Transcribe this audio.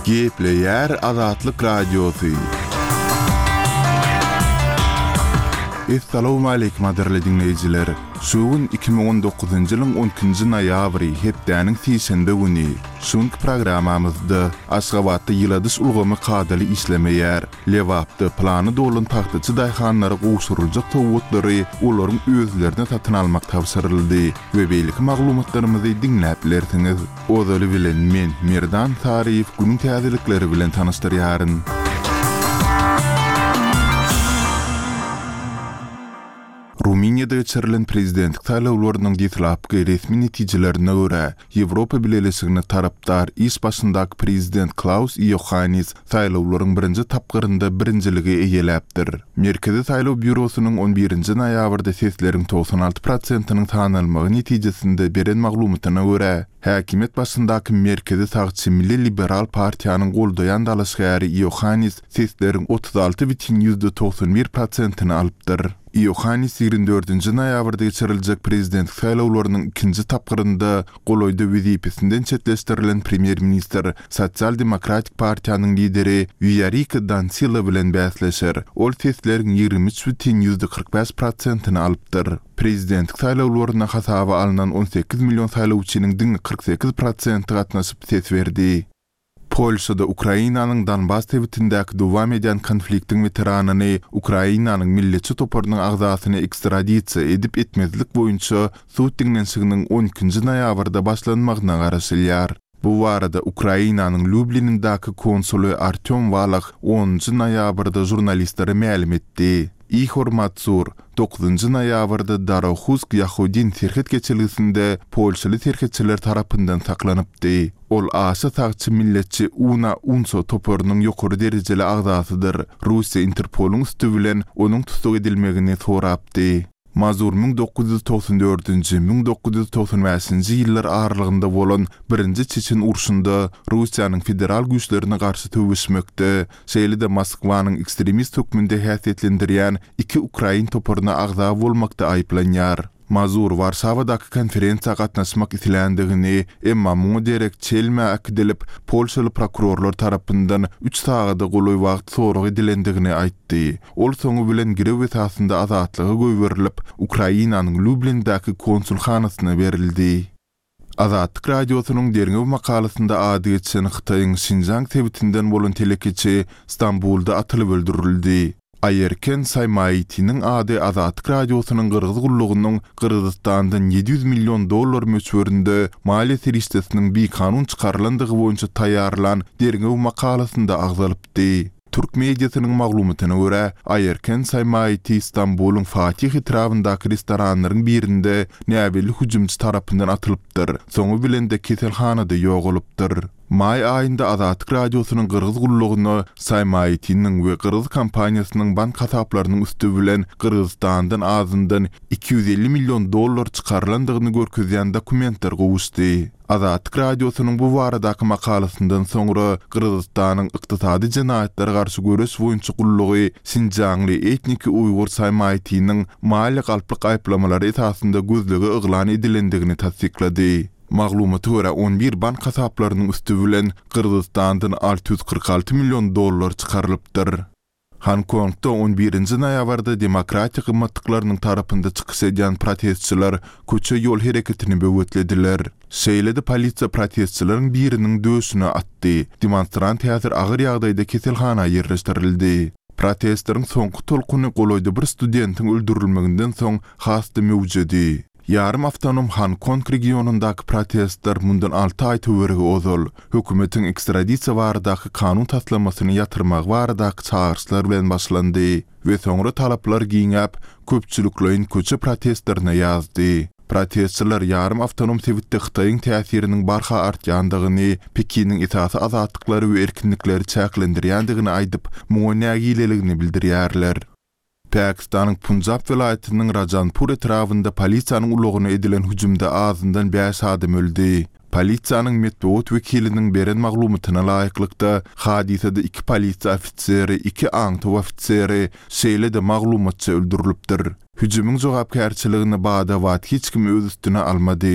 Gepleýär Azatlyk Radiosy. Essalawmaleýkim gadyrly diňleýjiler! Şu gün 2019-njy ýylyň on ikinji noýabry, hepdäniň sişenbe güni. Şu günki programmamyzda Aşgabatda ýyladyş ulgamy kadaly işlemeýär. Lebapda plany dolan pagtaçy daýhanlara gowşuryljak sowgatlary olaryň özlerine satyn almak tabşyryldy we beýleki maglumatlarymyzy diňläp bilersiňiz. Ozaly bilen men, Merdan Saryýew günüň täzelikleri bilen tanyşdyrýaryn. Rumyniýada geçirilen prezidentlik saýlawlarynyň deslapky resmi netijelerine görä, Ýewropa Bileleşigine tarapdar iş başyndaky prezident Klaus Iohannis saýlawlaryň birinji tapgyrynda birinjiligi eýeläpdir. Merkezi saýlaw býurosynyň on birinji noýabrda sesleriň 96 prosentiniň sanalmagy netijesinde beren maglumatyna görä, häkimiýet başyndaky merkezi sagçy Milli liberal partiýanyň goldaýan dalaşgäri Iohannis sesleriň 36 bütin ýüzde 91 prosentini alypdyr. Iohannis 24-nji noýabrda geçiriljek prezidentlik saýlawlarynyň ikinji tapgyrynda golaýda wezipesinden çetleşdirilen premýer-ministr, Sosial-demokratik partiýanyň lideri Wiorika Dansila bilen bäsleşer. Ol sesleriň 23 bütin 45 prosentini alypdyr. Prezidentlik saýlawlarynda hasaba alnan 18 million saýlawçynyň diňe 48 prosenti gatnaşyp ses berdi. Polşada Ukrainanyň Donbas sebitindäki dowam edýän konfliktiň weteranyny Ukrainanyň milletçi toparynyň agzasyny ekstradisiýa edip-etmezlik boýunça sud diňlenişiginiň on ikinji noýabrda başlanmagyna garaşylýar. Bu barada Ukrainanyň Lýublinindäki konsuly Artýom Walah onunjy noýabrda žurnalistlere mälim etdi. Ihor Matsur, dokuzynjy noýabrda Darohusk-Ýahodin serhet geçelgesinde polşaly serhetçiler tarapyndan saklanypdy. Ol aşa sagçy milletçi Una Unso toparynyň ýokary derejeli agzasydyr. Russiýa Interpolyň üsti bilen onuň tussag edilmegini sorapdy. Mazur 1994-nji, 1995-nji ýyllar aralygynda bolan Birinji Çeçen urşunda Russiýanyň federal güýçlerine garşy söweşmekde, şeýle-de Moskwanyň ekstremist hökmünde häsiýetlendirýän iki ukrain toparyna agza bolmakda aýyplanýar. Mazur Warşawadaky konferensiýa gatnaşmak isländigini, emma muňa derek Çelmä äkidilip, polşaly prokurorlar tarapyndan üç sagada golaý wagt sorag edilendigini aýtdy. Ol soňy bilen girew esasynda azatlyga goýberilip, Ukrainanyň Lýublindäki konsulhanasyna berildi. Azatlyk Radiosynyň derňew makalasynda ady geçen Hytaýyň Şinjaň sebitinden bolan telekeçi Stambulda atylyp öldürildi. Aýerken Saýmaitiniň ady Azatlyk Radiosynyň Gyrgyz gullugynyň Gyrgyzystandan 700 million dollar möçberinde maliýe serişdesiniň bikanun çykarylandygy boýunça taýýarlan derňew makalasynda agzalypdy. Türk mediasynyň maglumatyna görä, Aýerken Saýmaiti Stambulyň Fatih etrabyndaky restoranlaryň birinde näbelli hüjümçi tarapyndan atylypdyr, soňy bilen-de keselhanada ýogalypdyr. Maý aýynda Azatlyk Radiosynyň Gyrgyz gullugyna Saýmaitiniň we gyrgyz kompaniýasynyň bank hasaplarynyň üsti bilen Gyrgyzystandan azyndan 250 million dollar çykarylandygyny görkezýän dokumentler gowuşdy. Azatlyk Radiosynyň bu baradaky makalasyndan soňra Gyrgyzystanyň Ykdysady jenaýatlara garşy göreş boýunça gullugy şinjaňly etniki uýgur Saýmaýtiniň maliýe galplyk aýyplamalary esasynda gözlege yglan edilendigini tassyklady. Maglumata görä, on bir bank hasaplarynyň üsti bilen Gyrgyzystandan 646 million dollar çykarylypdyr. Honkongda on birinji noýabrda demokratiýa gymmatlyklarynyň tarapynda çykyş edýän protestçiler köçe-ýol hereketini böwetlediler. Şeýle-de polisiýa protestçileriň biriniň döşüne atdy. Demonstrant häzir agyr ýagdaýda keselhana ýerleşdirildi. Protestleriň soňky tolkuny golaýda bir studentiň öldürilmeginden soň has-da möwjedi. Ýarym awtonom Honkong regionyndaky protestler mundan alty aý töweregi ozal, hökümetiň ekstradisiýa baradaky kanun taslamasyny ýatyrmagy baradaky çagyryşlar bilen başlandy we soňra talaplar giňäp, köpçülikleýin köçe protestlerine ýazdy. Protestçiler ýarym awtonom sebitde Hytaýyň täsiriniň barha artýandygyny, Pekiniň esasy azatlyklary we erkinlikleri çäklendirýändigini aýdyp, muňa nägileligini bildirýärler. Pakistanyň Punjab welaýatynyň Rajanpur etrabynda polisiýanyň ulagyna edilen hüjümde azyndan bäş adam öldi. Polisiýanyň metbugat wekiliniň beren maglumatyna laýyklykda, hadysada iki polisiýa ofiseri, iki aňtaw ofiseri, şeýle-de maglumatçy öldürilipdir. Hüjümiň jogapkärçiligini bada-bat hiç kim öz üstüne almady.